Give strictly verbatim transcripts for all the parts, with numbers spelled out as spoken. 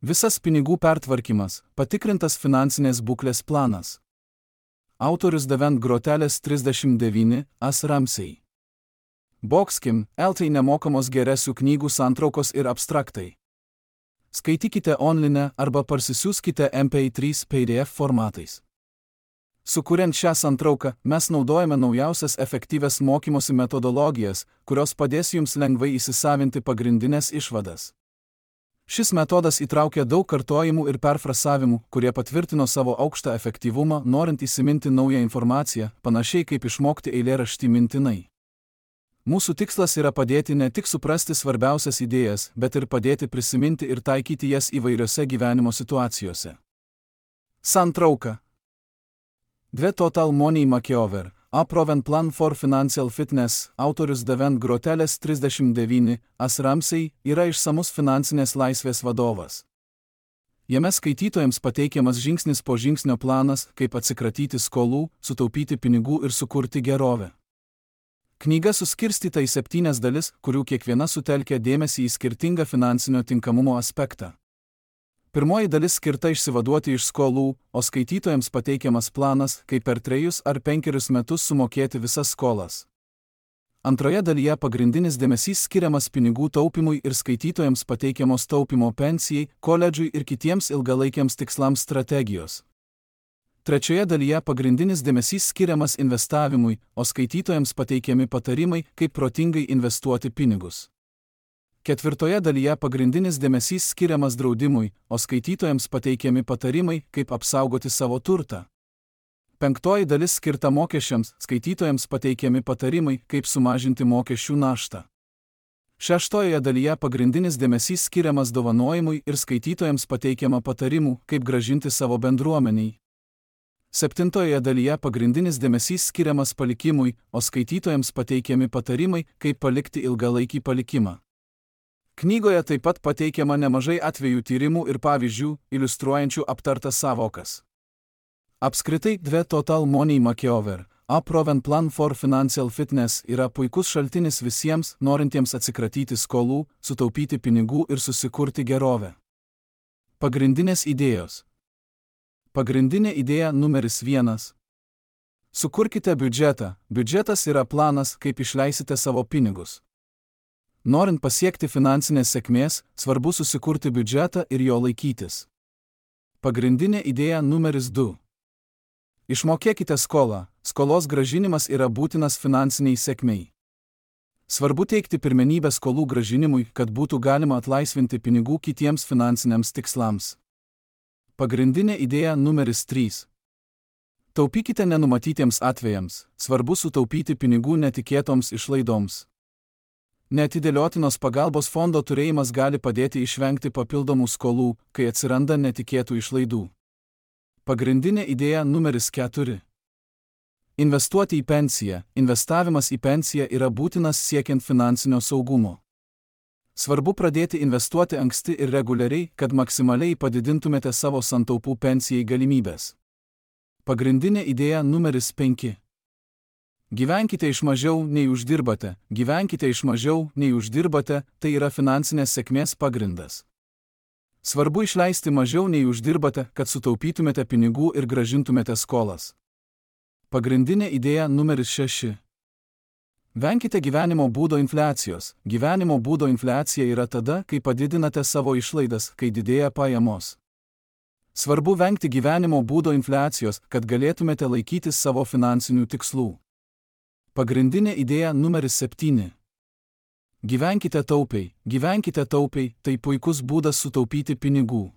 Visas pinigų pertvarkymas, patikrintas finansinės būklės planas. Autorius Devent Groteles trisdešimt devyni, As Ramsey. Boxkim, eltai nemokamos geresių knygų santraukos ir abstraktai. Skaitykite online arba parsisiųskite M P trys P D F formatais. Sukuriant šią santrauką, mes naudojame naujausias efektyvias mokymosi metodologijas, kurios padės jums lengvai įsisavinti pagrindinės išvadas. Šis metodas įtraukia daug kartojimų ir perfrasavimų, kurie patvirtino savo aukštą efektyvumą, norint įsiminti naują informaciją, panašiai kaip išmokti eilėraštį mintinai. Mūsų tikslas yra padėti ne tik suprasti svarbiausias idėjas, bet ir padėti prisiminti ir taikyti jas įvairiose gyvenimo situacijose. Santrauka. The Total Money Makeover, A Proven Plan for Financial Fitness, autorius Devent Groteles trisdešimt devyni, As Ramsey, yra išsamus finansinės laisvės vadovas. Jame skaitytojams pateikiamas žingsnis po žingsnio planas, kaip atsikratyti skolų, sutaupyti pinigų ir sukurti gerovę. Knyga suskirstyta į septynias dalis, kurių kiekviena sutelkia dėmesį į skirtingą finansinio tinkamumo aspektą. Pirmoji dalis skirta išsivaduoti iš skolų, o skaitytojams pateikiamas planas, kaip per trejus ar penkerius metus sumokėti visas skolas. Antroje dalyje pagrindinis dėmesys skiriamas pinigų taupimui ir skaitytojams pateikiamos taupimo pensijai, koledžui ir kitiems ilgalaikiams tikslams strategijos. Trečioje dalyje pagrindinis dėmesys skiriamas investavimui, o skaitytojams pateikiami patarimai, kaip protingai investuoti pinigus. Ketvirtoje dalyje pagrindinis dėmesys skiriamas draudimui, o skaitytojams pateikiami patarimai, kaip apsaugoti savo turtą. Penktoji dalis skirta mokesčiams, skaitytojams pateikiami patarimai, kaip sumažinti mokesčių naštą. Šeštojoje dalyje pagrindinis dėmesys skiriamas dovanojimui ir skaitytojams pateikiama patarimų, kaip grąžinti savo bendruomeniai. Septintojoje dalyje pagrindinis dėmesys skiriamas palikimui, o skaitytojams pateikiami patarimai, kaip palikti ilgalaikį palikimą. Knygoje taip pat pateikiama nemažai atvejų tyrimų ir pavyzdžių, iliustruojančių aptartas savokas. Apskritai, The Total Money Makeover, A Proven Plan for Financial Fitness yra puikus šaltinis visiems, norintiems atsikratyti skolų, sutaupyti pinigų ir susikurti gerovę. Pagrindinės idėjos. Pagrindinė idėja numeris vienas. Sukurkite biudžetą. Biudžetas yra planas, kaip išleisite savo pinigus. Norint pasiekti finansinės sėkmės, svarbu susikurti biudžetą ir jo laikytis. Pagrindinė idėja numeris du. Išmokėkite skolą. Skolos grąžinimas yra būtinas finansiniai sėkmei. Svarbu teikti pirmenybę skolų grąžinimui, kad būtų galima atlaisvinti pinigų kitiems finansiniams tikslams. Pagrindinė idėja numeris trys. Taupykite nenumatytiems atvejams. Svarbu sutaupyti pinigų netikėtoms išlaidoms. Neatidėliotinos pagalbos fondo turėjimas gali padėti išvengti papildomų skolų, kai atsiranda netikėtų išlaidų. Pagrindinė idėja numeris keturi. Investuoti į pensiją. Investavimas į pensiją yra būtinas siekiant finansinio saugumo. Svarbu pradėti investuoti anksti ir reguliariai, kad maksimaliai padidintumėte savo santaupų pensijai galimybės. Pagrindinė idėja numeris penki. Gyvenkite iš mažiau, nei uždirbate. Gyvenkite iš mažiau, nei uždirbate, tai yra finansinės sėkmės pagrindas. Svarbu išleisti mažiau, nei uždirbate, kad sutaupytumėte pinigų ir grąžintumėte skolas. Pagrindinė idėja numeris šeši. Venkite gyvenimo būdo infliacijos. Gyvenimo būdo infliacija yra tada, kai padidinate savo išlaidas, kai didėja pajamos. Svarbu vengti gyvenimo būdo infliacijos, kad galėtumėte laikytis savo finansinių tikslų. Pagrindinė idėja numeris septyni. Gyvenkite taupiai. Gyvenkite taupiai, tai puikus būdas sutaupyti pinigų.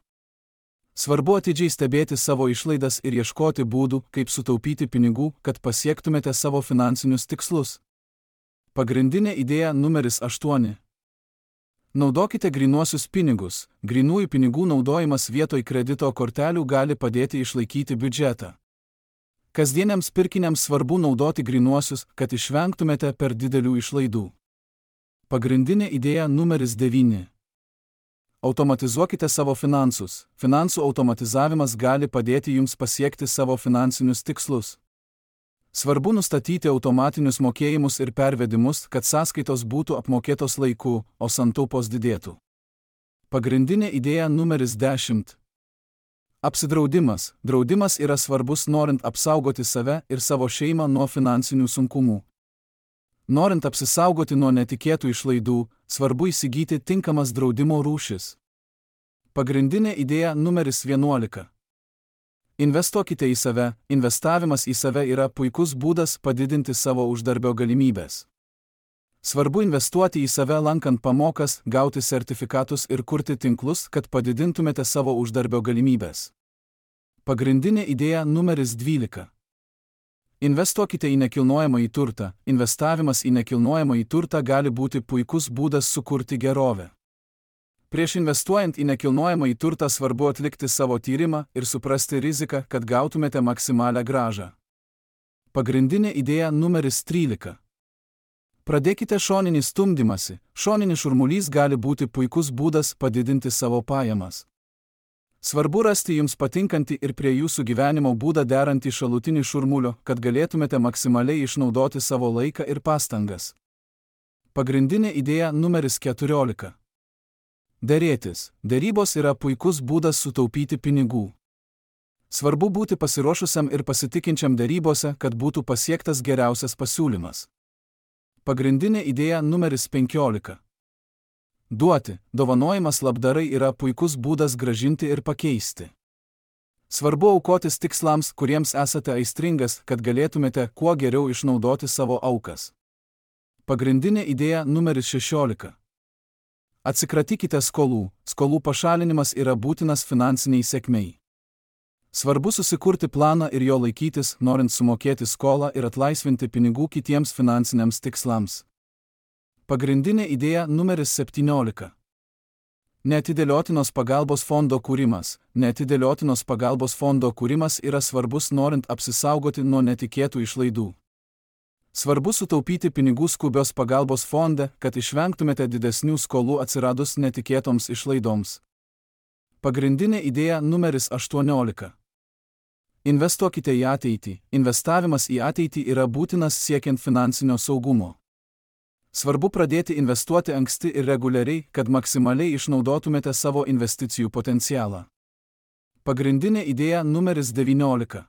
Svarbu atidžiai stebėti savo išlaidas ir ieškoti būdų, kaip sutaupyti pinigų, kad pasiektumėte savo finansinius tikslus. Pagrindinė idėja numeris aštuoni. Naudokite grynuosius pinigus. Grynųjų pinigų naudojimas vietoj kredito kortelių gali padėti išlaikyti biudžetą. Kasdieniams pirkiniams svarbu naudoti grynuosius, kad išvengtumėte per didelių išlaidų. Pagrindinė idėja numeris devyni. Automatizuokite savo finansus. Finansų automatizavimas gali padėti jums pasiekti savo finansinius tikslus. Svarbu nustatyti automatinius mokėjimus ir pervedimus, kad sąskaitos būtų apmokėtos laiku, o santaupos didėtų. Pagrindinė idėja numeris dešimt. Apsidraudimas. Draudimas yra svarbus norint apsaugoti save ir savo šeimą nuo finansinių sunkumų. Norint apsisaugoti nuo netikėtų išlaidų, svarbu įsigyti tinkamas draudimo rūšis. Pagrindinė idėja numeris vienuolika. Investuokite į save. Investavimas į save yra puikus būdas padidinti savo uždarbio galimybės. Svarbu investuoti į save lankant pamokas, gauti sertifikatus ir kurti tinklus, kad padidintumėte savo uždarbio galimybės. Pagrindinė idėja numeris dvylika. Investuokite į nekilnojamąjį turtą. Investavimas į nekilnojamąjį turtą gali būti puikus būdas sukurti gerovę. Prieš investuojant į nekilnojamąjį turtą svarbu atlikti savo tyrimą ir suprasti riziką, kad gautumėte maksimalią grąžą. Pagrindinė idėja numeris trylika. Pradėkite šoninį stumdymąsi. Šoninis šurmulys gali būti puikus būdas padidinti savo pajamas. Svarbu rasti jums patinkantį ir prie jūsų gyvenimo būdą derantį šalutinį šurmulio, kad galėtumėte maksimaliai išnaudoti savo laiką ir pastangas. Pagrindinė idėja numeris keturiolika. Derėtis. Derybos yra puikus būdas sutaupyti pinigų. Svarbu būti pasiruošusiam ir pasitikinčiam derybose, kad būtų pasiektas geriausias pasiūlymas. Pagrindinė idėja numeris penkiolika. Duoti. Dovanojimas labdarai yra puikus būdas gražinti ir pakeisti. Svarbu aukotis tikslams, kuriems esate aistringas, kad galėtumėte kuo geriau išnaudoti savo aukas. Pagrindinė idėja numeris šešiolika. Atsikratykite skolų. Skolų pašalinimas yra būtinas finansiniai sėkmei. Svarbu susikurti planą ir jo laikytis, norint sumokėti skolą ir atlaisvinti pinigų kitiems finansiniams tikslams. Pagrindinė idėja numeris septyniolika. Neatidėliotinos pagalbos fondo kūrimas. Neatidėliotinos pagalbos fondo kūrimas yra svarbus norint apsisaugoti nuo netikėtų išlaidų. Svarbu sutaupyti pinigų skubios pagalbos fonde, kad išvengtumėte didesnių skolų atsiradus netikėtoms išlaidoms. Pagrindinė idėja numeris aštuoniolika. Investuokite į ateitį. Investavimas į ateitį yra būtinas siekiant finansinio saugumo. Svarbu pradėti investuoti anksti ir reguliariai, kad maksimaliai išnaudotumėte savo investicijų potencialą. Pagrindinė idėja numeris devyniolika.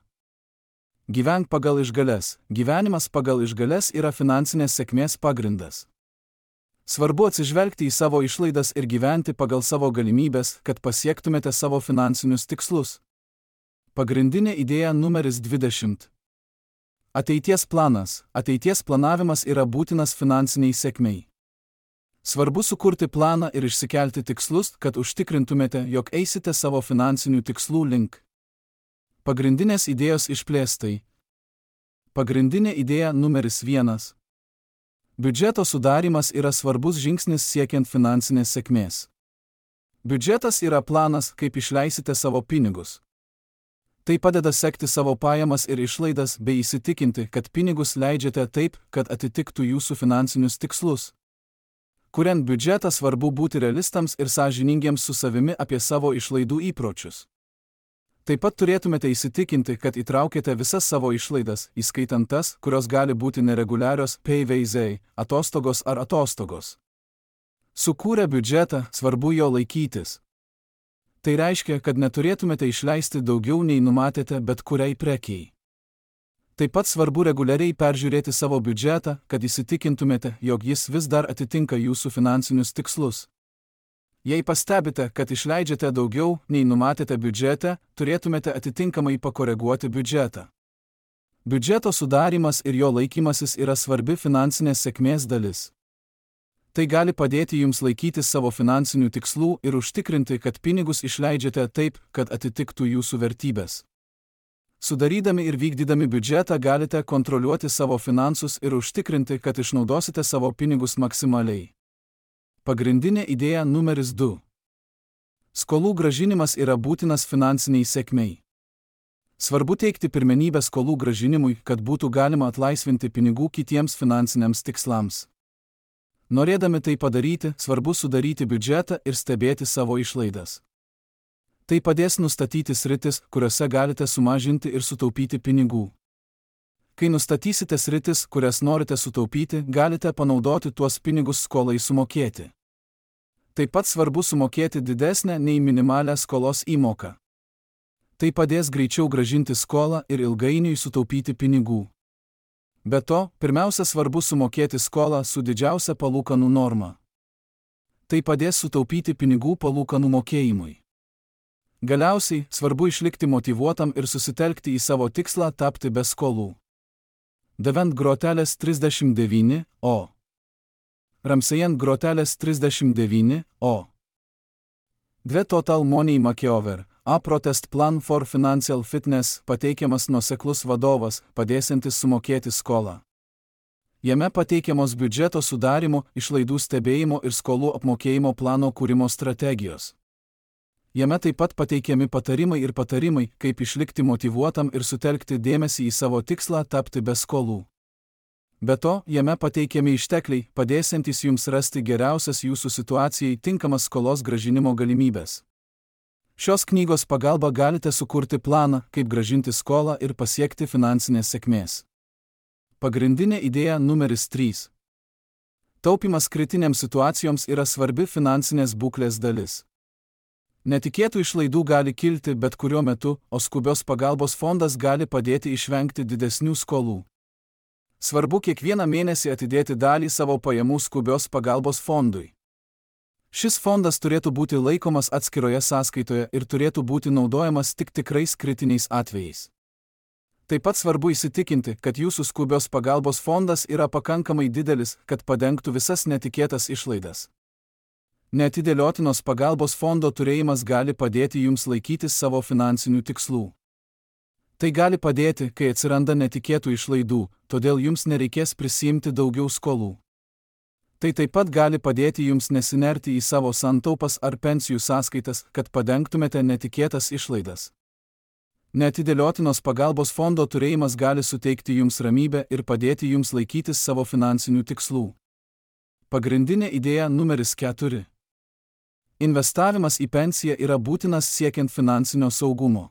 Gyvenk pagal išgales. Gyvenimas pagal išgales yra finansinės sėkmės pagrindas. Svarbu atsižvelgti į savo išlaidas ir gyventi pagal savo galimybės, kad pasiektumėte savo finansinius tikslus. Pagrindinė idėja numeris dvidešimt. Ateities planas. Ateities planavimas yra būtinas finansiniai sėkmei. Svarbu sukurti planą ir išsikelti tikslus, kad užtikrintumėte, jog eisite savo finansinių tikslų link. Pagrindinės idėjos išplėstai. Pagrindinė idėja numeris vienas. Biudžeto sudarymas yra svarbus žingsnis siekiant finansinės sėkmės. Biudžetas yra planas, kaip išleisite savo pinigus. Tai padeda sekti savo pajamas ir išlaidas bei įsitikinti, kad pinigus leidžiate taip, kad atitiktų jūsų finansinius tikslus. Kuriant biudžetą svarbu būti realistams ir sąžiningiems su savimi apie savo išlaidų įpročius. Taip pat turėtumėte įsitikinti, kad įtraukėte visas savo išlaidas, įskaitant tas, kurios gali būti nereguliarios, payveizai, atostogos ar atostogos. Sukūrę biudžetą, svarbu jo laikytis. Tai reiškia, kad neturėtumėte išleisti daugiau nei numatėte bet kuriai prekiai. Taip pat svarbu reguliariai peržiūrėti savo biudžetą, kad įsitikintumėte, jog jis vis dar atitinka jūsų finansinius tikslus. Jei pastebite, kad išleidžiate daugiau nei numatėte biudžete, turėtumėte atitinkamai pakoreguoti biudžetą. Biudžeto sudarymas ir jo laikymasis yra svarbi finansinės sėkmės dalis. Tai gali padėti jums laikyti savo finansinių tikslų ir užtikrinti, kad pinigus išleidžiate taip, kad atitiktų jūsų vertybės. Sudarydami ir vykdydami biudžetą galite kontroliuoti savo finansus ir užtikrinti, kad išnaudosite savo pinigus maksimaliai. Pagrindinė idėja numeris du. Skolų grąžinimas yra būtinas finansiniai sėkmei. Svarbu teikti pirmenybę skolų grąžinimui, kad būtų galima atlaisvinti pinigų kitiems finansiniams tikslams. Norėdami tai padaryti, svarbu sudaryti biudžetą ir stebėti savo išlaidas. Tai padės nustatyti sritis, kuriuose galite sumažinti ir sutaupyti pinigų. Kai nustatysite sritis, kurias norite sutaupyti, galite panaudoti tuos pinigus skolai sumokėti. Taip pat svarbu sumokėti didesnę nei minimalią skolos įmoką. Tai padės greičiau grąžinti skolą ir ilgainiui sutaupyti pinigų. Be to, pirmiausia svarbu sumokėti skolą su didžiausia palūkanų norma. Tai padės sutaupyti pinigų palūkanų mokėjimui. Galiausiai, svarbu išlikti motyvuotam ir susitelkti į savo tikslą tapti be skolų. Devent grotelės trisdešimt devyni o. Ramsejant grotelės trisdešimt devyni o. Dve Total Money Makeover, A Protest Plan for Financial Fitness pateikiamas nuoseklus vadovas, padėsiantis sumokėti skolą. Jame pateikiamos biudžeto sudarimo, išlaidų stebėjimo ir skolų apmokėjimo plano kūrimo strategijos. Jame taip pat pateikiami patarimai ir patarimai, kaip išlikti motyvuotam ir sutelkti dėmesį į savo tikslą tapti be skolų. Be to, jame pateikiami ištekliai, padėsiantys jums rasti geriausias jūsų situacijai tinkamas skolos grąžinimo galimybės. Šios knygos pagalba galite sukurti planą, kaip grąžinti skolą ir pasiekti finansinės sėkmės. Pagrindinė idėja numeris trys. Taupimas kritinėms situacijoms yra svarbi finansinės būklės dalis. Netikėtų išlaidų gali kilti bet kuriuo metu, o skubios pagalbos fondas gali padėti išvengti didesnių skolų. Svarbu kiekvieną mėnesį atidėti dalį savo pajamų skubios pagalbos fondui. Šis fondas turėtų būti laikomas atskiroje sąskaitoje ir turėtų būti naudojamas tik tikrais kritiniais atvejais. Taip pat svarbu įsitikinti, kad jūsų skubios pagalbos fondas yra pakankamai didelis, kad padengtų visas netikėtas išlaidas. Neatidėliotinos pagalbos fondo turėjimas gali padėti jums laikytis savo finansinių tikslų. Tai gali padėti, kai atsiranda netikėtų išlaidų, todėl jums nereikės prisiimti daugiau skolų. Tai taip pat gali padėti jums nesinerti į savo santaupas ar pensijų sąskaitas, kad padengtumėte netikėtas išlaidas. Neatidėliotinos pagalbos fondo turėjimas gali suteikti jums ramybę ir padėti jums laikytis savo finansinių tikslų. Pagrindinė idėja numeris keturi. Investavimas į pensiją yra būtinas siekiant finansinio saugumo.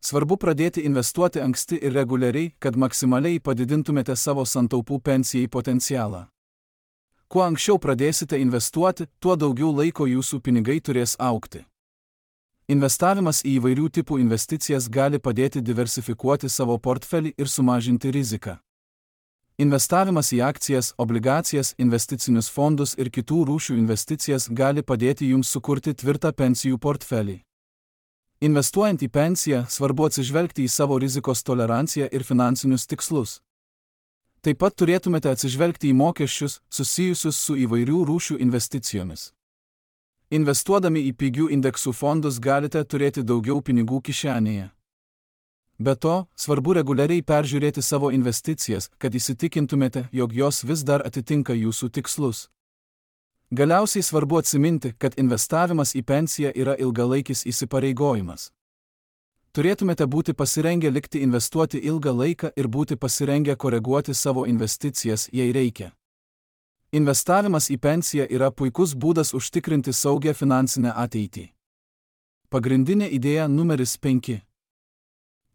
Svarbu pradėti investuoti anksti ir reguliariai, kad maksimaliai padidintumėte savo santaupų pensijai potencialą. Kuo anksčiau pradėsite investuoti, tuo daugiau laiko jūsų pinigai turės augti. Investavimas į įvairių tipų investicijas gali padėti diversifikuoti savo portfelį ir sumažinti riziką. Investavimas į akcijas, obligacijas, investicinius fondus ir kitų rūšių investicijas gali padėti jums sukurti tvirtą pensijų portfelį. Investuojant į pensiją, svarbu atsižvelgti į savo rizikos toleranciją ir finansinius tikslus. Taip pat turėtumėte atsižvelgti į mokesčius, susijusius su įvairių rūšių investicijomis. Investuodami į pigių indeksų fondus galite turėti daugiau pinigų kišenėje. Be to, svarbu reguliariai peržiūrėti savo investicijas, kad įsitikintumėte, jog jos vis dar atitinka jūsų tikslus. Galiausiai svarbu atsiminti, kad investavimas į pensiją yra ilgalaikis įsipareigojimas. Turėtumėte būti pasirengę likti investuoti ilgą laiką ir būti pasirengę koreguoti savo investicijas, jei reikia. Investavimas į pensiją yra puikus būdas užtikrinti saugią finansinę ateitį. Pagrindinė idėja numeris penki.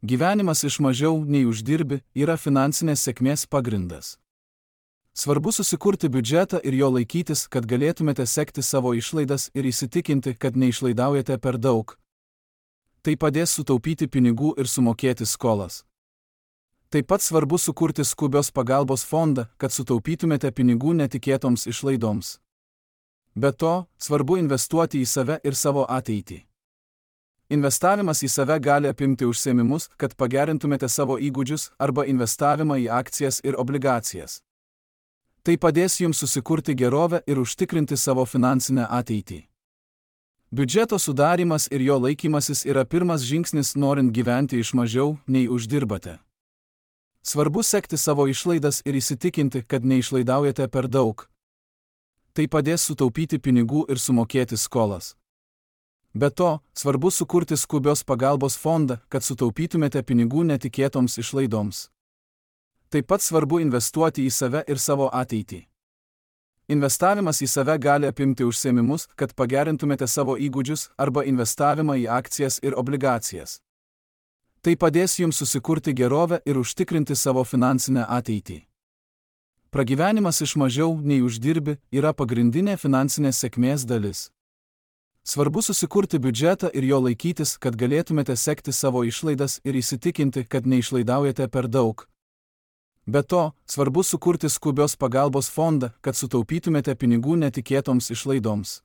Gyvenimas iš mažiau nei uždirbi yra finansinės sėkmės pagrindas. Svarbu susikurti biudžetą ir jo laikytis, kad galėtumėte sekti savo išlaidas ir įsitikinti, kad neišlaidaujate per daug. Tai padės sutaupyti pinigų ir sumokėti skolas. Taip pat svarbu sukurti skubios pagalbos fondą, kad sutaupytumėte pinigų netikėtoms išlaidoms. Be to, svarbu investuoti į save ir savo ateitį. Investavimas į save gali apimti užsiėmimus, kad pagerintumėte savo įgūdžius arba investavimą į akcijas ir obligacijas. Tai padės jums susikurti gerovę ir užtikrinti savo finansinę ateitį. Biudžeto sudarimas ir jo laikymasis yra pirmas žingsnis norint gyventi iš mažiau, nei uždirbate. Svarbu sekti savo išlaidas ir įsitikinti, kad neišlaidaujate per daug. Tai padės sutaupyti pinigų ir sumokėti skolas. Be to, svarbu sukurti skubios pagalbos fondą, kad sutaupytumėte pinigų netikėtoms išlaidoms. Taip pat svarbu investuoti į save ir savo ateitį. Investavimas į save gali apimti užsiėmimus, kad pagerintumėte savo įgūdžius arba investavimą į akcijas ir obligacijas. Tai padės jums susikurti gerovę ir užtikrinti savo finansinę ateitį. Pragyvenimas iš mažiau nei uždirbi yra pagrindinė finansinės sėkmės dalis. Svarbu susikurti biudžetą ir jo laikytis, kad galėtumėte sekti savo išlaidas ir įsitikinti, kad neišlaidaujate per daug. Be to, svarbu sukurti skubios pagalbos fondą, kad sutaupytumėte pinigų netikėtoms išlaidoms.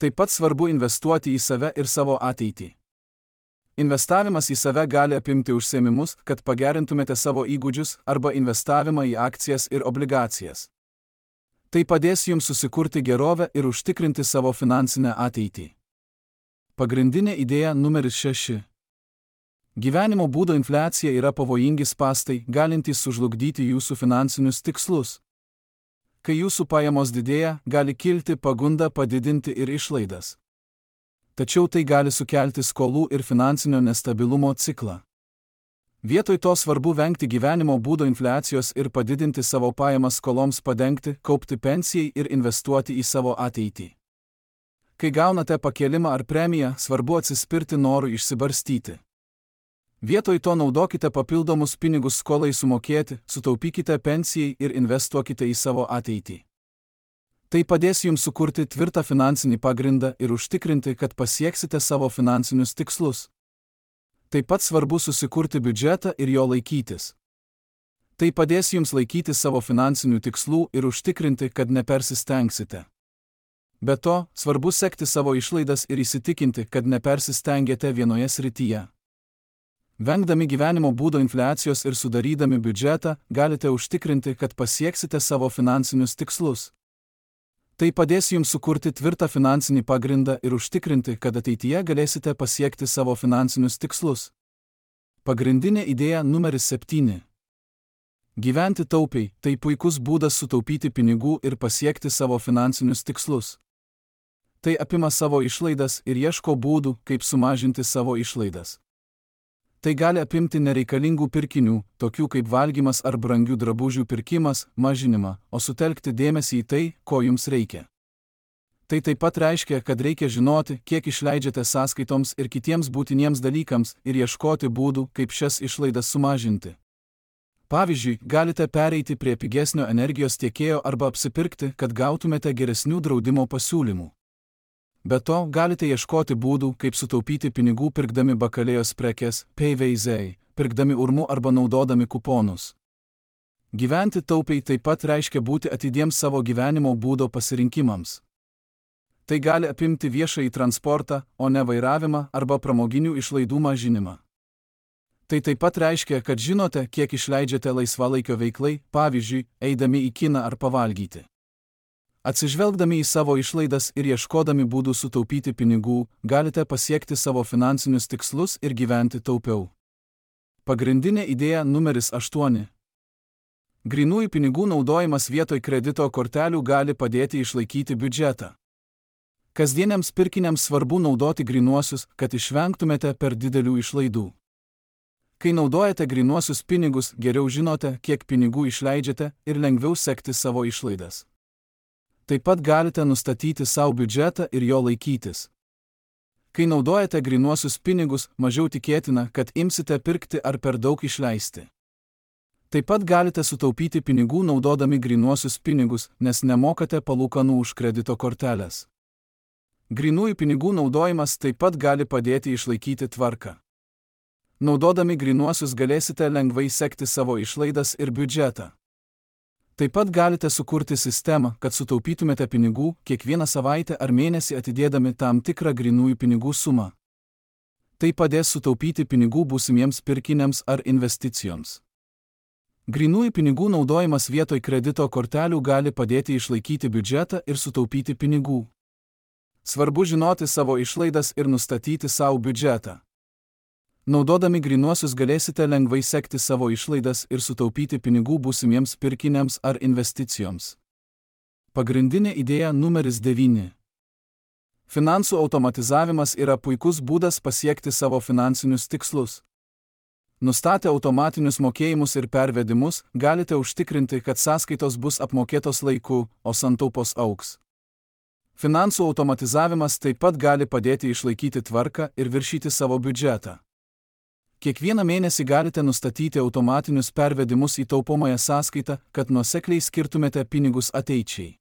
Taip pat svarbu investuoti į save ir savo ateitį. Investavimas į save gali apimti užsiėmimus, kad pagerintumėte savo įgūdžius arba investavimą į akcijas ir obligacijas. Tai padės jums susikurti gerovę ir užtikrinti savo finansinę ateitį. Pagrindinė idėja numeris šeši. Gyvenimo būdo infliacija yra pavojingi spąstai, galintys sužlugdyti jūsų finansinius tikslus. Kai jūsų pajamos didėja, gali kilti pagunda padidinti ir išlaidas. Tačiau tai gali sukelti skolų ir finansinio nestabilumo ciklą. Vietoj to svarbu vengti gyvenimo būdo infliacijos ir padidinti savo pajamas skoloms padengti, kaupti pensijai ir investuoti į savo ateitį. Kai gaunate pakėlimą ar premiją, svarbu atsispirti norui išsibarstyti. Vietoj to naudokite papildomus pinigus skolai sumokėti, sutaupykite pensijai ir investuokite į savo ateitį. Tai padės jums sukurti tvirtą finansinį pagrindą ir užtikrinti, kad pasieksite savo finansinius tikslus. Taip pat svarbu susikurti biudžetą ir jo laikytis. Tai padės jums laikyti savo finansinių tikslų ir užtikrinti, kad nepersistengsite. Be to, svarbu sekti savo išlaidas ir įsitikinti, kad nepersistengėte vienoje srityje. Vengdami gyvenimo būdo infliacijos ir sudarydami biudžetą, galite užtikrinti, kad pasieksite savo finansinius tikslus. Tai padės jums sukurti tvirtą finansinį pagrindą ir užtikrinti, kad ateityje galėsite pasiekti savo finansinius tikslus. Pagrindinė idėja numeris septyni. Gyventi taupiai – tai puikus būdas sutaupyti pinigų ir pasiekti savo finansinius tikslus. Tai apima savo išlaidas ir ieško būdų, kaip sumažinti savo išlaidas. Tai gali apimti nereikalingų pirkinių, tokių kaip valgymas ar brangių drabužių pirkimas, mažinimą, o sutelkti dėmesį į tai, ko jums reikia. Tai taip pat reiškia, kad reikia žinoti, kiek išleidžiate sąskaitoms ir kitiems būtiniems dalykams ir ieškoti būdų, kaip šias išlaidas sumažinti. Pavyzdžiui, galite pereiti prie pigesnio energijos tiekėjo arba apsipirkti, kad gautumėte geresnių draudimo pasiūlymų. Be to, galite ieškoti būdų, kaip sutaupyti pinigų pirkdami bakalėjos prekes, payveizai, pirkdami urmu arba naudodami kuponus. Gyventi taupiai taip pat reiškia būti atidiems savo gyvenimo būdo pasirinkimams. Tai gali apimti viešąjį transportą, o ne vairavimą arba pramoginių išlaidų mažinimą. Tai taip pat reiškia, kad žinote, kiek išleidžiate laisvalaikio veiklai, pavyzdžiui, eidami į kiną ar pavalgyti. Atsižvelgdami į savo išlaidas ir ieškodami būdų sutaupyti pinigų, galite pasiekti savo finansinius tikslus ir gyventi taupiau. Pagrindinė idėja numeris aštuoni. Grynųjų pinigų naudojimas vietoj kredito kortelių gali padėti išlaikyti biudžetą. Kasdieniams pirkiniams svarbu naudoti grynuosius, kad išvengtumėte per didelių išlaidų. Kai naudojate grynuosius pinigus, geriau žinote, kiek pinigų išleidžiate ir lengviau sekti savo išlaidas. Taip pat galite nustatyti savo biudžetą ir jo laikytis. Kai naudojate grynuosius pinigus, mažiau tikėtina, kad imsite pirkti ar per daug išleisti. Taip pat galite sutaupyti pinigų naudodami grynuosius pinigus, nes nemokate palūkanų už kredito korteles. Grynųjų pinigų naudojimas taip pat gali padėti išlaikyti tvarką. Naudodami grynuosius galėsite lengvai sekti savo išlaidas ir biudžetą. Taip pat galite sukurti sistemą, kad sutaupytumėte pinigų kiekvieną savaitę ar mėnesį atidėdami tam tikrą grynųjų pinigų sumą. Tai padės sutaupyti pinigų būsimiems pirkiniams ar investicijoms. Grynųjų pinigų naudojimas vietoj kredito kortelių gali padėti išlaikyti biudžetą ir sutaupyti pinigų. Svarbu žinoti savo išlaidas ir nustatyti savo biudžetą. Naudodami grynuosius galėsite lengvai sekti savo išlaidas ir sutaupyti pinigų būsimiems pirkiniams ar investicijoms. Pagrindinė idėja numeris devyni. Finansų automatizavimas yra puikus būdas pasiekti savo finansinius tikslus. Nustatę automatinius mokėjimus ir pervedimus, galite užtikrinti, kad sąskaitos bus apmokėtos laiku, o santaupos augs. Finansų automatizavimas taip pat gali padėti išlaikyti tvarką ir viršyti savo biudžetą. Kiekvieną mėnesį galite nustatyti automatinius pervedimus į taupomąją sąskaitą, kad nuosekliai skirtumėte pinigus ateičiai.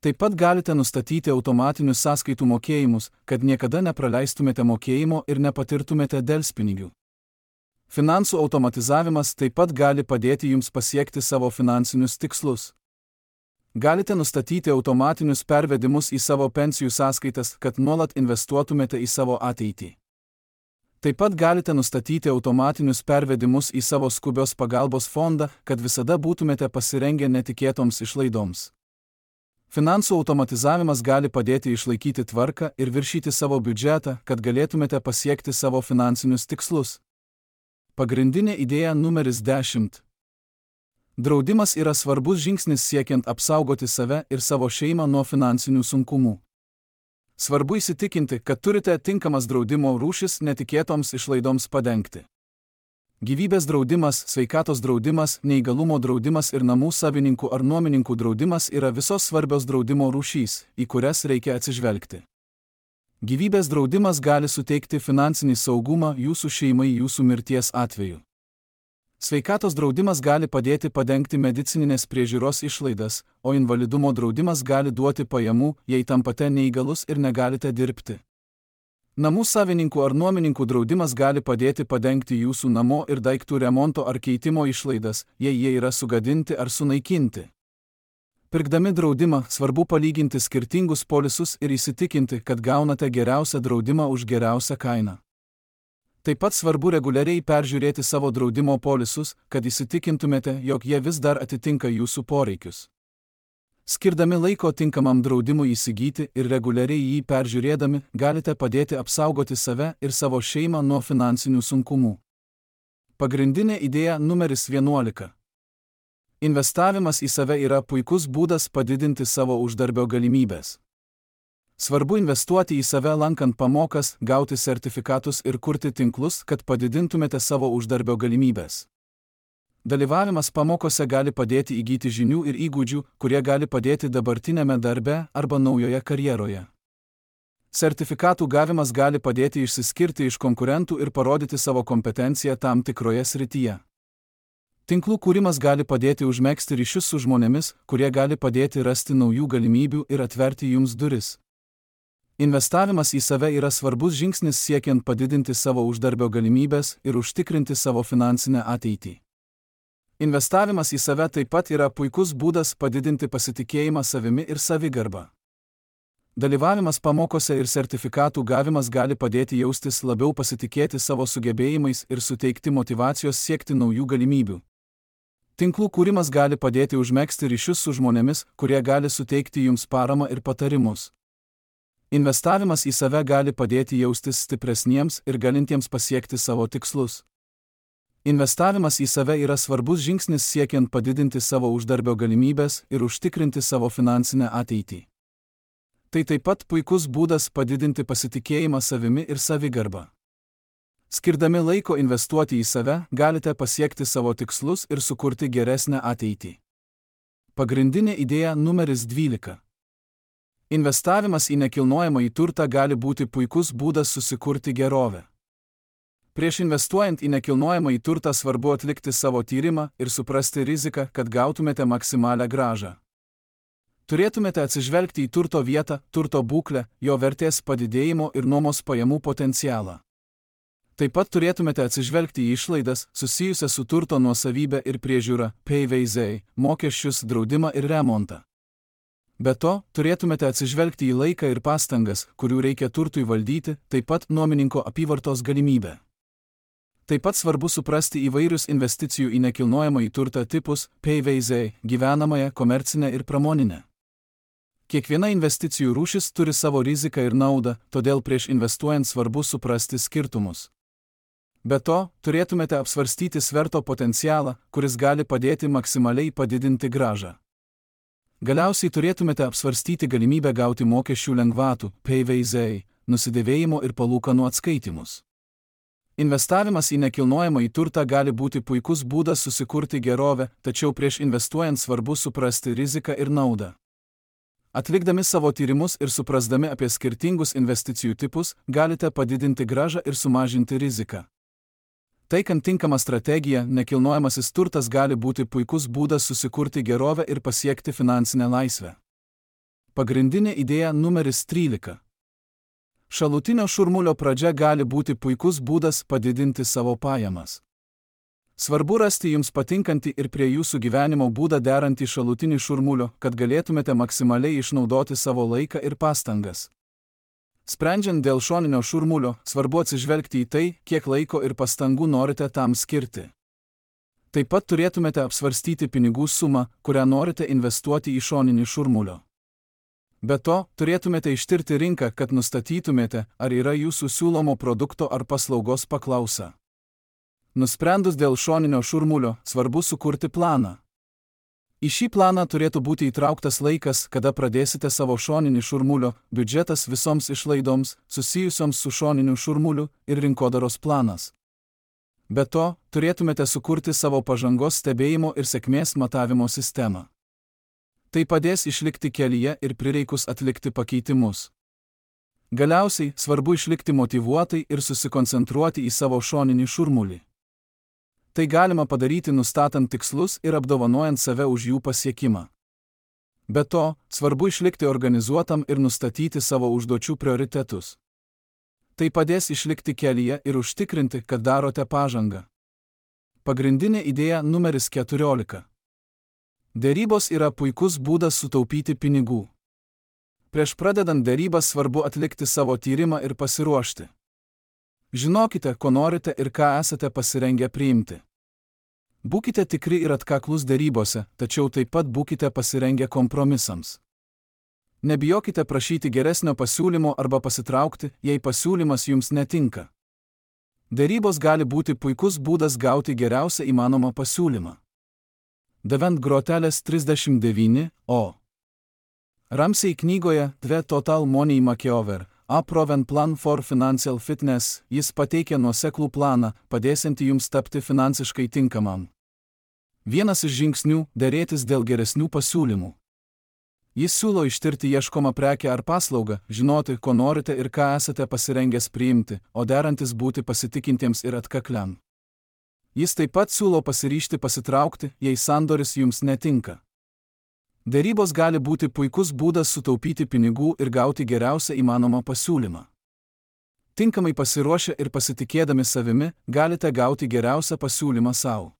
Taip pat galite nustatyti automatinius sąskaitų mokėjimus, kad niekada nepraleistumėte mokėjimo ir nepatirtumėte delspinigių. Finansų automatizavimas taip pat gali padėti jums pasiekti savo finansinius tikslus. Galite nustatyti automatinius pervedimus į savo pensijų sąskaitas, kad nuolat investuotumėte į savo ateitį. Taip pat galite nustatyti automatinius pervedimus į savo skubios pagalbos fondą, kad visada būtumėte pasirengę netikėtoms išlaidoms. Finansų automatizavimas gali padėti išlaikyti tvarką ir viršyti savo biudžetą, kad galėtumėte pasiekti savo finansinius tikslus. Pagrindinė idėja numeris dešimt. Draudimas yra svarbus žingsnis siekiant apsaugoti save ir savo šeimą nuo finansinių sunkumų. Svarbu įsitikinti, kad turite tinkamas draudimo rūšis netikėtoms išlaidoms padengti. Gyvybės draudimas, sveikatos draudimas, neįgalumo draudimas ir namų savininkų ar nuomininkų draudimas yra visos svarbios draudimo rūšys, į kurias reikia atsižvelgti. Gyvybės draudimas gali suteikti finansinį saugumą jūsų šeimai jūsų mirties atveju. Sveikatos draudimas gali padėti padengti medicininės priežiūros išlaidas, o invalidumo draudimas gali duoti pajamų, jei tampate neįgalus ir negalite dirbti. Namų savininkų ar nuomininkų draudimas gali padėti padengti jūsų namo ir daiktų remonto ar keitimo išlaidas, jei jie yra sugadinti ar sunaikinti. Pirkdami draudimą, svarbu palyginti skirtingus polisus ir įsitikinti, kad gaunate geriausią draudimą už geriausią kainą. Taip pat svarbu reguliariai peržiūrėti savo draudimo polisus, kad įsitikintumėte, jog jie vis dar atitinka jūsų poreikius. Skirdami laiko tinkamam draudimui įsigyti ir reguliariai jį peržiūrėdami, galite padėti apsaugoti save ir savo šeimą nuo finansinių sunkumų. Pagrindinė idėja numeris vienuolika. Investavimas į save yra puikus būdas padidinti savo uždarbio galimybės. Svarbu investuoti į save lankant pamokas, gauti sertifikatus ir kurti tinklus, kad padidintumėte savo uždarbio galimybės. Dalyvavimas pamokose gali padėti įgyti žinių ir įgūdžių, kurie gali padėti dabartinėme darbe arba naujoje karjeroje. Sertifikatų gavimas gali padėti išsiskirti iš konkurentų ir parodyti savo kompetenciją tam tikroje srityje. Tinklų kūrimas gali padėti užmegzti ryšius su žmonėmis, kurie gali padėti rasti naujų galimybių ir atverti jums duris. Investavimas į save yra svarbus žingsnis siekiant padidinti savo uždarbio galimybės ir užtikrinti savo finansinę ateitį. Investavimas į save taip pat yra puikus būdas padidinti pasitikėjimą savimi ir savigarbą. Dalyvavimas pamokose ir sertifikatų gavimas gali padėti jaustis labiau pasitikėti savo sugebėjimais ir suteikti motyvacijos siekti naujų galimybių. Tinklų kūrimas gali padėti užmegzti ryšius su žmonėmis, kurie gali suteikti jums paramą ir patarimus. Investavimas į save gali padėti jaustis stipresniems ir galintiems pasiekti savo tikslus. Investavimas į save yra svarbus žingsnis siekiant padidinti savo uždarbio galimybės ir užtikrinti savo finansinę ateitį. Tai taip pat puikus būdas padidinti pasitikėjimą savimi ir savigarbą. Skirdami laiko investuoti į save, galite pasiekti savo tikslus ir sukurti geresnę ateitį. Pagrindinė idėja numeris dvylika. Investavimas į nekilnojamąjį turtą gali būti puikus būdas susikurti gerovę. Prieš investuojant į nekilnojamąjį turtą svarbu atlikti savo tyrimą ir suprasti riziką, kad gautumėte maksimalią grąžą. Turėtumėte atsižvelgti į turto vietą, turto būklę, jo vertės padidėjimo ir nuomos pajamų potencialą. Taip pat turėtumėte atsižvelgti į išlaidas susijusias su turto nuosavybė ir priežiūra, P V Z, mokesčius, draudimą ir remontą. Be to, turėtumėte atsižvelgti į laiką ir pastangas, kurių reikia turtui valdyti, taip pat nuomininko apyvartos galimybę. Taip pat svarbu suprasti įvairius investicijų į nekilnojamąjį turtą tipus, P V Z, gyvenamąją, komercinę ir pramoninę. Kiekviena investicijų rūšis turi savo riziką ir naudą, todėl prieš investuojant svarbu suprasti skirtumus. Be to, turėtumėte apsvarstyti sverto potencialą, kuris gali padėti maksimaliai padidinti grąžą. Galiausiai turėtumėte apsvarstyti galimybę gauti mokesčių lengvatų, P V Z, nusidėvėjimo ir palūkanų atskaitimus. Investavimas į nekilnojamąjį turtą gali būti puikus būdas susikurti gerovę, tačiau prieš investuojant svarbu suprasti riziką ir naudą. Atlikdami savo tyrimus ir suprasdami apie skirtingus investicijų tipus, galite padidinti grąžą ir sumažinti riziką. Taikant tinkamą strategiją, nekilnojamasis turtas gali būti puikus būdas susikurti gerovę ir pasiekti finansinę laisvę. Pagrindinė idėja numeris trylika. Šalutinio šurmulio pradžia gali būti puikus būdas padidinti savo pajamas. Svarbu rasti jums patinkantį ir prie jūsų gyvenimo būdą derantį šalutinį šurmulio, kad galėtumėte maksimaliai išnaudoti savo laiką ir pastangas. Sprendžiant dėl šoninio šurmulio, svarbu atsižvelgti į tai, kiek laiko ir pastangų norite tam skirti. Taip pat turėtumėte apsvarstyti pinigų sumą, kurią norite investuoti į šoninį šurmulio. Be to, turėtumėte ištirti rinką, kad nustatytumėte, ar yra jūsų siūlomo produkto ar paslaugos paklausa. Nusprendus dėl šoninio šurmulio, svarbu sukurti planą. Į šį planą turėtų būti įtrauktas laikas, kada pradėsite savo šoninį šurmulio, biudžetas visoms išlaidoms, susijusioms su šoniniu šurmuliu ir rinkodaros planas. Be to, turėtumėte sukurti savo pažangos stebėjimo ir sėkmės matavimo sistemą. Tai padės išlikti kelyje ir prireikus atlikti pakeitimus. Galiausiai, svarbu išlikti motyvuotai ir susikoncentruoti į savo šoninį šurmulį. Tai galima padaryti nustatant tikslus ir apdovanojant save už jų pasiekimą. Be to, svarbu išlikti organizuotam ir nustatyti savo užduočių prioritetus. Tai padės išlikti kelyje ir užtikrinti, kad darote pažangą. Pagrindinė idėja numeris keturiolika. Derybos yra puikus būdas sutaupyti pinigų. Prieš pradedant derybas svarbu atlikti savo tyrimą ir pasiruošti. Žinokite, ko norite ir ką esate pasirengę priimti. Būkite tikri ir atkaklus derybose, tačiau taip pat būkite pasirengę kompromisams. Nebijokite prašyti geresnio pasiūlymo arba pasitraukti, jei pasiūlymas jums netinka. Derybos gali būti puikus būdas gauti geriausią įmanomą pasiūlymą. Devent grotelės trisdešimt devyni, o. Ramsey knygoje The Total Money Makeover, A Proven Plan for Financial Fitness, jis pateikia nuoseklų planą, padėsiantį jums tapti finansiškai tinkamam. Vienas iš žingsnių – derėtis dėl geresnių pasiūlymų. Jis siūlo ištirti ieškomą prekę ar paslaugą, žinoti, ko norite ir ką esate pasirengęs priimti, o derantis būti pasitikintiems ir atkakliam. Jis taip pat siūlo pasiryžti pasitraukti, jei sandoris jums netinka. Derybos gali būti puikus būdas sutaupyti pinigų ir gauti geriausią įmanomą pasiūlymą. Tinkamai pasiruošę ir pasitikėdami savimi, galite gauti geriausią pasiūlymą savo.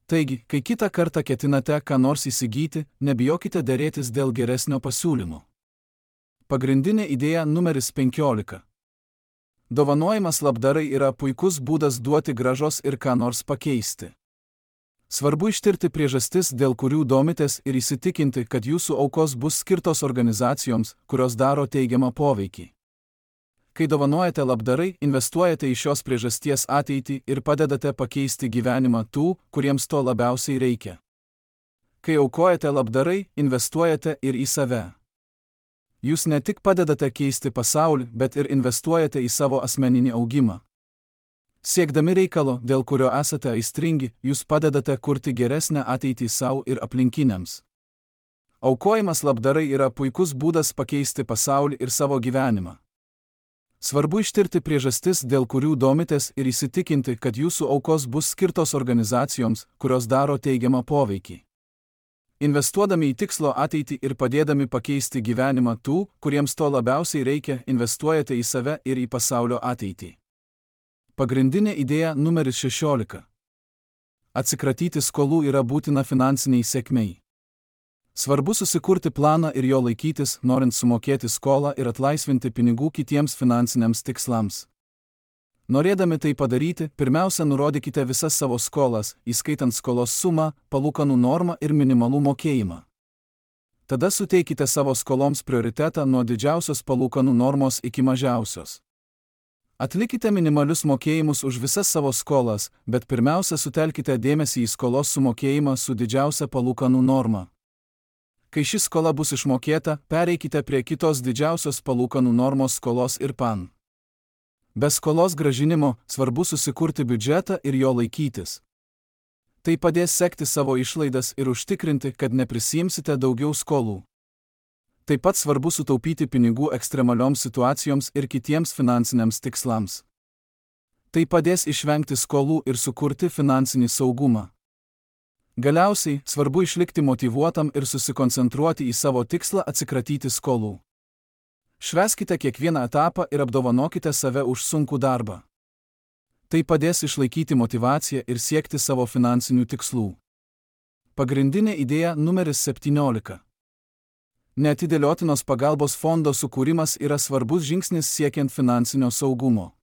Taigi, kai kitą kartą ketinate ką nors įsigyti, nebijokite derėtis dėl geresnio pasiūlymo. Pagrindinė idėja numeris penkiolika. Dovanojimas labdarai yra puikus būdas duoti grąžos ir ką nors pakeisti. Svarbu ištirti priežastis, dėl kurių domitės ir įsitikinti, kad jūsų aukos bus skirtos organizacijoms, kurios daro teigiamą poveikį. Kai dovanojate labdarai, investuojate į šios priežasties ateitį ir padedate pakeisti gyvenimą tų, kuriems to labiausiai reikia. Kai aukojate labdarai, investuojate ir į save. Jūs ne tik padedate keisti pasaulį, bet ir investuojate į savo asmeninį augimą. Siekdami reikalo, dėl kurio esate aistringi, jūs padedate kurti geresnę ateitį savo ir aplinkiniams. Aukojimas labdarai yra puikus būdas pakeisti pasaulį ir savo gyvenimą. Svarbu ištirti priežastis, dėl kurių domitės ir įsitikinti, kad jūsų aukos bus skirtos organizacijoms, kurios daro teigiamą poveikį. Investuodami į tikslo ateitį ir padėdami pakeisti gyvenimą tų, kuriems to labiausiai reikia, investuojate į save ir į pasaulio ateitį. Pagrindinė idėja numeris šešiolika. Atsikratyti skolų yra būtina finansiniai sėkmei. Svarbu susikurti planą ir jo laikytis, norint sumokėti skolą ir atlaisvinti pinigų kitiems finansiniams tikslams. Norėdami tai padaryti, pirmiausia nurodykite visas savo skolas, įskaitant skolos sumą, palūkanų normą ir minimalų mokėjimą. Tada suteikite savo skoloms prioritetą nuo didžiausios palūkanų normos iki mažiausios. Atlikite minimalius mokėjimus už visas savo skolas, bet pirmiausia sutelkite dėmesį į skolos sumokėjimą su didžiausia palūkanų norma. Kai ši skola bus išmokėta, pereikite prie kitos didžiausios palūkanų normos skolos ir pan. Be skolos grąžinimo svarbu susikurti biudžetą ir jo laikytis. Tai padės sekti savo išlaidas ir užtikrinti, kad neprisiimsite daugiau skolų. Taip pat svarbu sutaupyti pinigų ekstremalioms situacijoms ir kitiems finansiniams tikslams. Tai padės išvengti skolų ir sukurti finansinį saugumą. Galiausiai, svarbu išlikti motyvuotam ir susikoncentruoti į savo tikslą atsikratyti skolų. Švęskite kiekvieną etapą ir apdovanokite save už sunkų darbą. Tai padės išlaikyti motyvaciją ir siekti savo finansinių tikslų. Pagrindinė idėja numeris septyniolika. Neatidėliotinos pagalbos fondo sukūrimas yra svarbus žingsnis siekiant finansinio saugumo.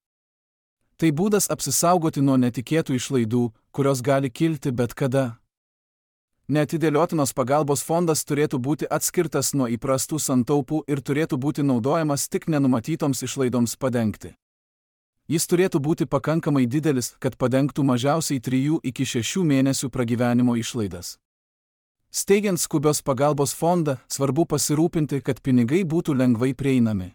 Tai būdas apsisaugoti nuo netikėtų išlaidų, kurios gali kilti bet kada. Neatidėliotinos pagalbos fondas turėtų būti atskirtas nuo įprastų santaupų ir turėtų būti naudojamas tik nenumatytoms išlaidoms padengti. Jis turėtų būti pakankamai didelis, kad padengtų mažiausiai trijų iki šešių mėnesių pragyvenimo išlaidas. Steigiant skubios pagalbos fondą, svarbu pasirūpinti, kad pinigai būtų lengvai prieinami.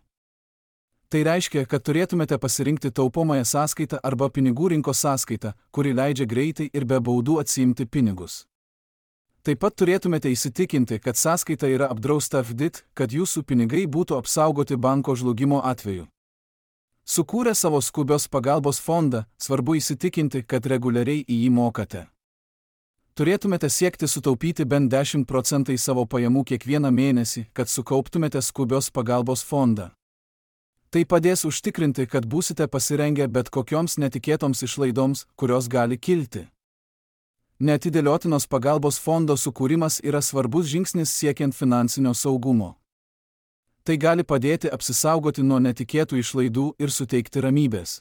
Tai reiškia, kad turėtumėte pasirinkti taupomąją sąskaitą arba pinigų rinkos sąskaitą, kuri leidžia greitai ir be baudų atsiimti pinigus. Taip pat turėtumėte įsitikinti, kad sąskaita yra apdrausta F D I T, kad jūsų pinigai būtų apsaugoti banko žlugimo atveju. Sukūrę savo skubios pagalbos fondą, svarbu įsitikinti, kad reguliariai į jį mokate. Turėtumėte siekti sutaupyti bent dešimt procentų savo pajamų kiekvieną mėnesį, kad sukauptumėte skubios pagalbos fondą. Tai padės užtikrinti, kad būsite pasirengę bet kokioms netikėtoms išlaidoms, kurios gali kilti. Neatidėliotinos pagalbos fondo sukūrimas yra svarbus žingsnis siekiant finansinio saugumo. Tai gali padėti apsisaugoti nuo netikėtų išlaidų ir suteikti ramybės.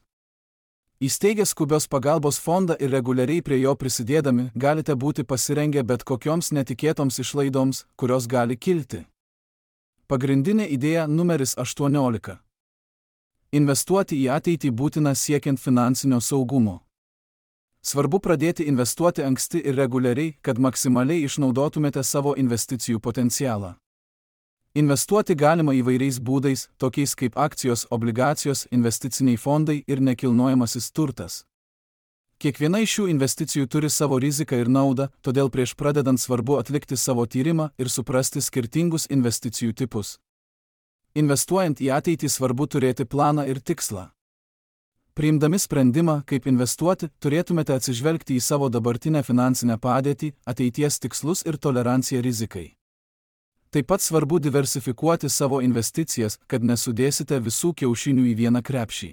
Įsteigę skubios pagalbos fondą ir reguliariai prie jo prisidėdami, galite būti pasirengę bet kokioms netikėtoms išlaidoms, kurios gali kilti. Pagrindinė idėja numeris aštuoniolika. Investuoti į ateitį būtina siekiant finansinio saugumo. Svarbu pradėti investuoti anksti ir reguliariai, kad maksimaliai išnaudotumėte savo investicijų potencialą. Investuoti galima įvairiais būdais, tokiais kaip akcijos, obligacijos, investiciniai fondai ir nekilnojamasis turtas. Kiekviena iš šių investicijų turi savo riziką ir naudą, todėl prieš pradedant svarbu atlikti savo tyrimą ir suprasti skirtingus investicijų tipus. Investuojant į ateitį svarbu turėti planą ir tikslą. Priimdami sprendimą, kaip investuoti, turėtumėte atsižvelgti į savo dabartinę finansinę padėtį, ateities tikslus ir toleranciją rizikai. Taip pat svarbu diversifikuoti savo investicijas, kad nesudėsite visų kiaušinių į vieną krepšį.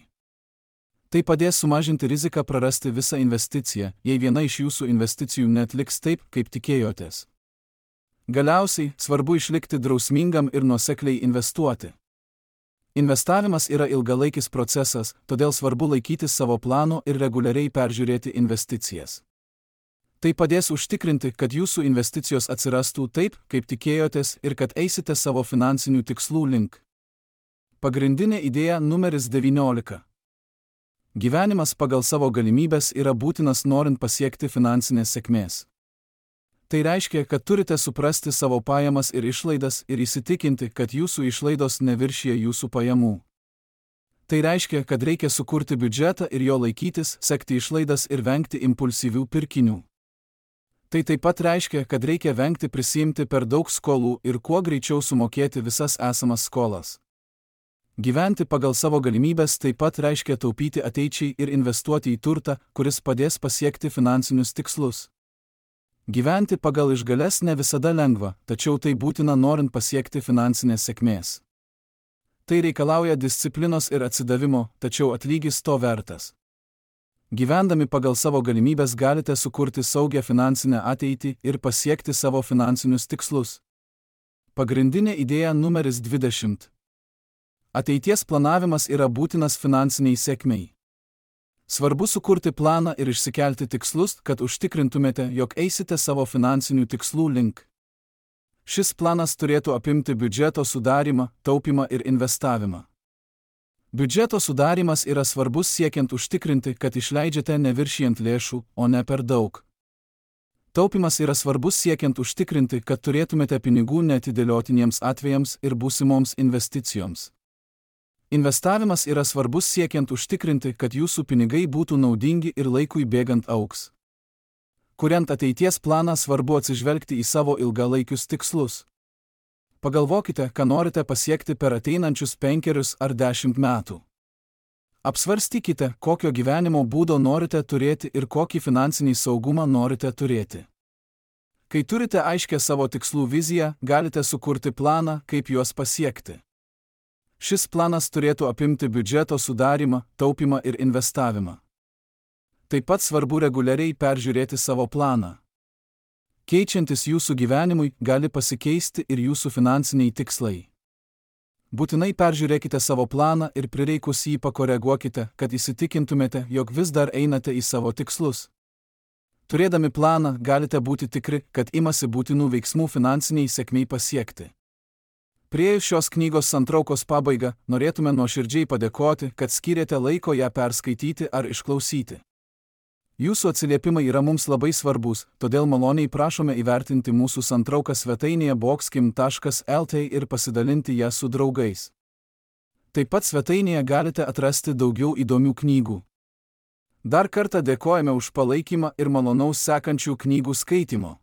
Tai padės sumažinti riziką prarasti visą investiciją, jei viena iš jūsų investicijų neatliks taip, kaip tikėjotės. Galiausiai, svarbu išlikti drausmingam ir nuosekliai investuoti. Investavimas yra ilgalaikis procesas, todėl svarbu laikytis savo plano ir reguliariai peržiūrėti investicijas. Tai padės užtikrinti, kad jūsų investicijos atsirastų taip, kaip tikėjotės ir kad eisite savo finansinių tikslų link. Pagrindinė idėja numeris devyniolika. Gyvenimas pagal savo galimybes yra būtinas norint pasiekti finansinės sėkmės. Tai reiškia, kad turite suprasti savo pajamas ir išlaidas ir įsitikinti, kad jūsų išlaidos neviršija jūsų pajamų. Tai reiškia, kad reikia sukurti biudžetą ir jo laikytis, sekti išlaidas ir vengti impulsyvių pirkinių. Tai taip pat reiškia, kad reikia vengti prisiimti per daug skolų ir kuo greičiau sumokėti visas esamas skolas. Gyventi pagal savo galimybes taip pat reiškia taupyti ateičiai ir investuoti į turtą, kuris padės pasiekti finansinius tikslus. Gyventi pagal išgales ne visada lengva, tačiau tai būtina norint pasiekti finansinės sėkmės. Tai reikalauja disciplinos ir atsidavimo, tačiau atlygis to vertas. Gyvendami pagal savo galimybes galite sukurti saugią finansinę ateitį ir pasiekti savo finansinius tikslus. Pagrindinė idėja numeris dvidešimt. Ateities planavimas yra būtinas finansiniai sėkmei. Svarbu sukurti planą ir išsikelti tikslus, kad užtikrintumėte, jog eisite savo finansinių tikslų link. Šis planas turėtų apimti biudžeto sudarymą, taupymą ir investavimą. Biudžeto sudarimas yra svarbus siekiant užtikrinti, kad išleidžiate neviršijant lėšų, o ne per daug. Taupymas yra svarbus siekiant užtikrinti, kad turėtumėte pinigų neatidėliotiniems atvejams ir būsimoms investicijoms. Investavimas yra svarbus siekiant užtikrinti, kad jūsų pinigai būtų naudingi ir laikui bėgant augs. Kuriant ateities planą, svarbu atsižvelgti į savo ilgalaikius tikslus. Pagalvokite, ką norite pasiekti per ateinančius penkerius ar dešimt metų. Apsvarstykite, kokio gyvenimo būdo norite turėti ir kokį finansinį saugumą norite turėti. Kai turite aiškę savo tikslų viziją, galite sukurti planą, kaip juos pasiekti. Šis planas turėtų apimti biudžeto sudarymą, taupymą ir investavimą. Taip pat svarbu reguliariai peržiūrėti savo planą. Keičiantis jūsų gyvenimui, gali pasikeisti ir jūsų finansiniai tikslai. Būtinai peržiūrėkite savo planą ir prireikus jį pakoreguokite, kad įsitikintumėte, jog vis dar einate į savo tikslus. Turėdami planą, galite būti tikri, kad imasi būtinų veiksmų finansiniai sėkmei pasiekti. Priėjus šios knygos santraukos pabaigą, norėtume nuoširdžiai padėkoti, kad skyrėte laiko ją perskaityti ar išklausyti. Jūsų atsiliepimai yra mums labai svarbus, todėl maloniai prašome įvertinti mūsų santrauką svetainėje boxkim taškas lt ir pasidalinti ją su draugais. Taip pat svetainėje galite atrasti daugiau įdomių knygų. Dar kartą dėkojame už palaikymą ir malonaus sekančių knygų skaitimo.